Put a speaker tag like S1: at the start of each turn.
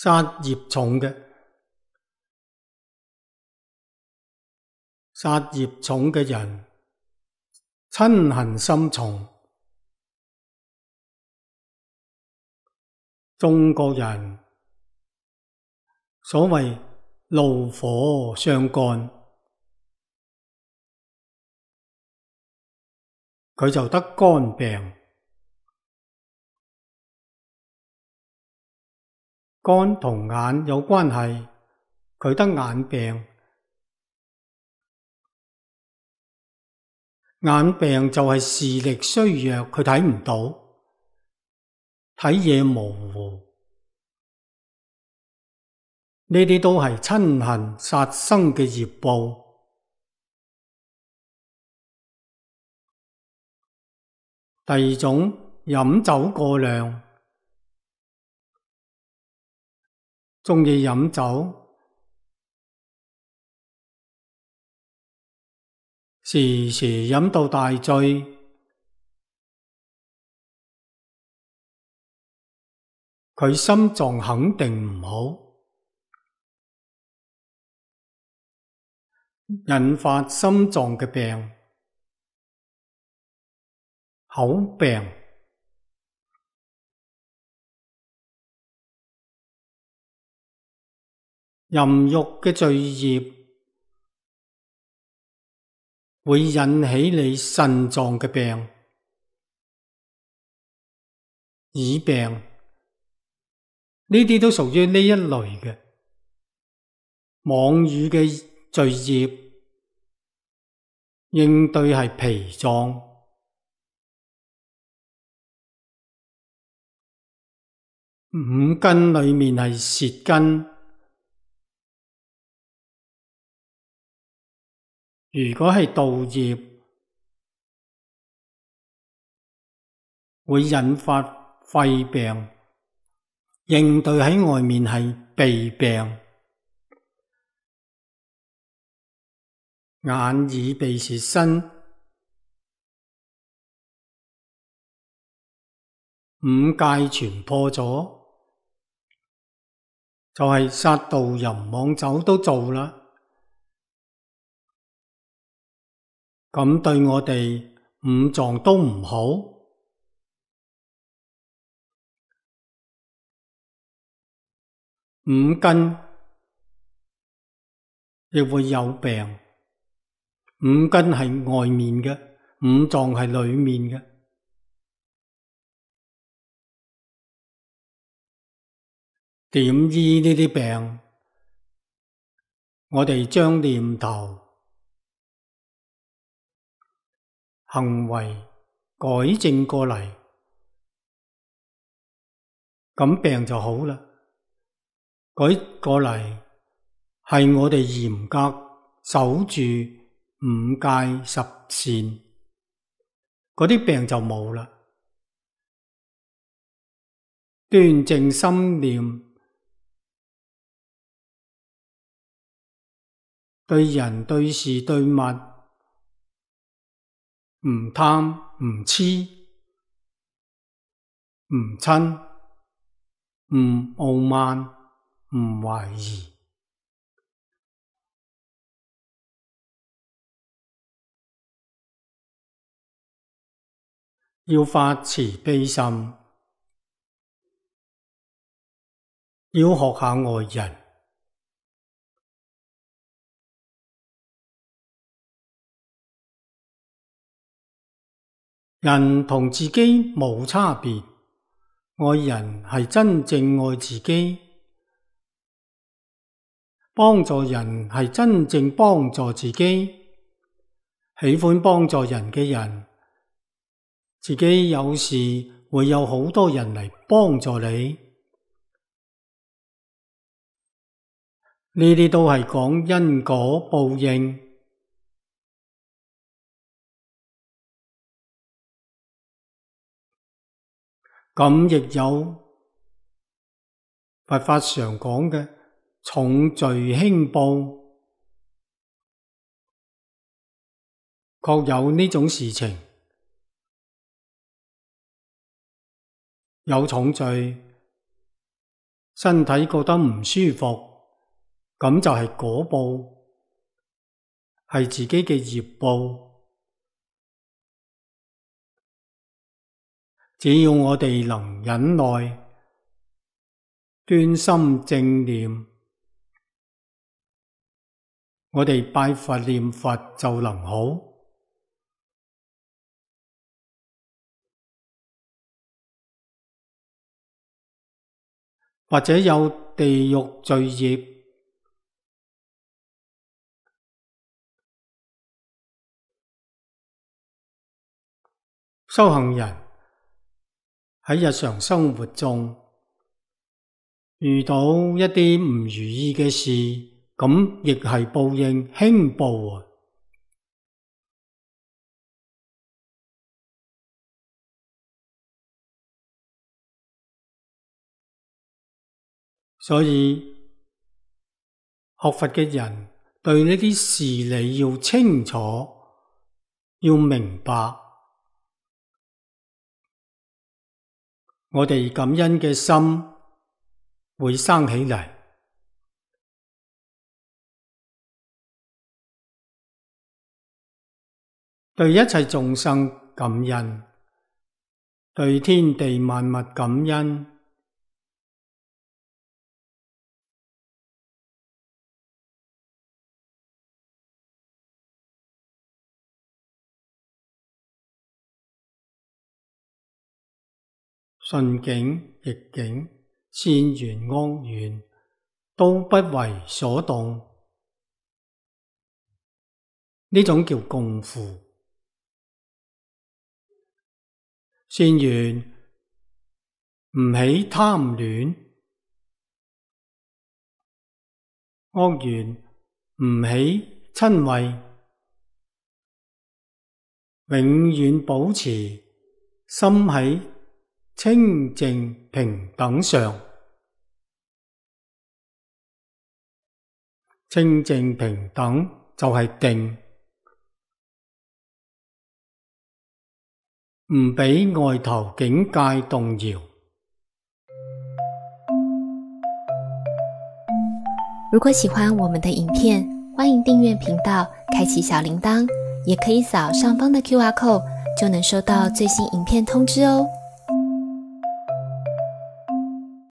S1: 殺業重嘅，殺業重嘅人，嗔恨心重。中國人所謂怒火相乾，佢就得肝病。肝同眼有關係，佢得眼病。眼病就係視力衰弱，佢睇唔到，睇嘢模糊。呢啲都係嗔恨殺生嘅業報。第二種，飲酒過量，鍾意飲酒，時時飲到大醉，佢心臟肯定唔好，引發心臟嘅病，口病。淫欲嘅罪業會引起你腎臟嘅病、耳病，呢啲都屬於呢一類嘅。妄語嘅罪業應對係脾臟。五根裏面係舌根。如果係盜業，會引發肺病，應對喺外面係鼻病。眼耳鼻舌身五戒全破咗，就係殺盜淫妄酒都做啦。咁對我哋五臟都唔好，五根亦會有病。五根係外面嘅，五臟係裏面嘅。點醫呢啲病？我哋將念頭、行為改正過嚟，咁病就好啦。改過嚟係我哋嚴格守住五戒十善，嗰啲病就冇啦。端正心念，對人對事對物，唔貪唔痴唔嗔唔傲慢唔懷疑，要發慈悲心，要學下外人。人同自己冇差別，愛人係真正愛自己，幫助人係真正幫助自己。喜歡幫助人嘅人，自己有時會有好多人嚟幫助你，呢啲都係講因果報應。咁亦有佛法常講嘅重罪輕報，確有呢種事情。有重罪身體覺得唔舒服，咁就係果報，係自己嘅業報。只要我哋能忍耐，端心正念，我哋拜佛念佛就能好。或者有地獄罪業，修行人喺日常生活中遇到一啲唔如意嘅事，咁亦係報應，輕報啊！所以學佛嘅人對呢啲事理要清楚，要明白，我哋感恩嘅心會生起嚟，對一切眾生感恩，對天地萬物感恩。順境逆境，善緣惡緣，都不為所動。呢種叫共赴。善緣唔起貪戀，惡緣唔起瞋恚，永遠保持心喺清淨平等上。清淨平等就係定，唔俾外頭境界動搖。
S2: 如果喜歡我們的影片，歡迎訂閱頻道，開啟小鈴鐺，也可以掃上方的QR code，就能收到最新影片通知哦。